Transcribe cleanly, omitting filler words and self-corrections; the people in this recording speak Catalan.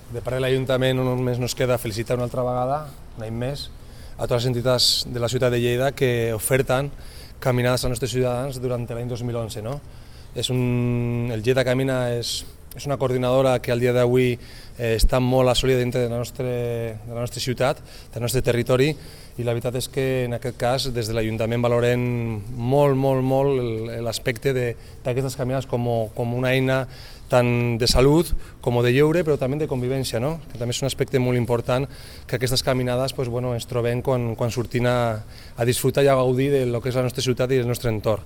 De part de l'Ajuntament només nos queda felicitar una altra vegada, un any més, a totes les entitats de la ciutat de Lleida que oferten caminades als nostres ciutadans durant l'any 2011. No? El Lleida Camina és una coordinadora que al dia d'avui està molt assolida dintre de la nostra ciutat, del nostre territori, i la veritat és que en aquest cas des de l'Ajuntament valorem molt l'aspecte d'aquestes caminades com una eina tant de salut com de lleure, però també de convivència, no? Que també és un aspecte molt important que aquestes caminades ens trobem quan sortim a disfrutar i a gaudir del que és la nostra ciutat i el nostre entorn.